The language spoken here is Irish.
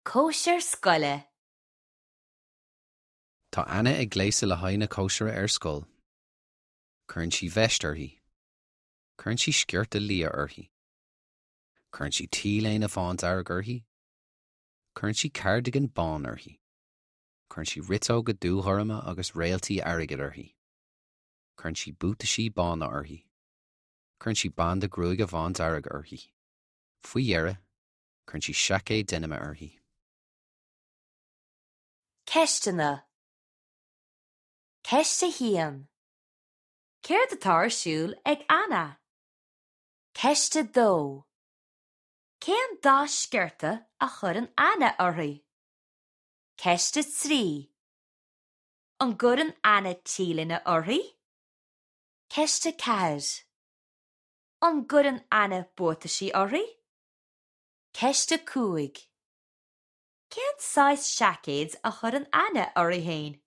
Cóisir scoile. Tá Anna ag gléasadh le haghaidh na cóisire ar scoil. Cuireann sí veist uirthi. Cuireann sí sciorta liath uirthi. Cuireann sí t-léine bhándearg uirthi. Cuireann sí cardigan bán uirthi. Cuireann sí riteoga dúghorma agus réaltaí airgid uirthi. Cuireann sí buataisí bána uirthi. Cuireann sí banda gruaige bhándearg uirthi. Faoi dheireadh, Cuireann sí seaicéad deinime uirthi. Ceisteanna Ceist 1. Céard atá ar siúl ag Anna? Ceist 2. Cén dath sciorta a chuireann Anna uirthi? Ceist 3. An gcuireann Anna t-léine uirthi? Ceist 4. An gcuireann Anna buataisí uirthi? Ceist 5. Cén saghas seaicéid a chuireann Anna uirthi féin?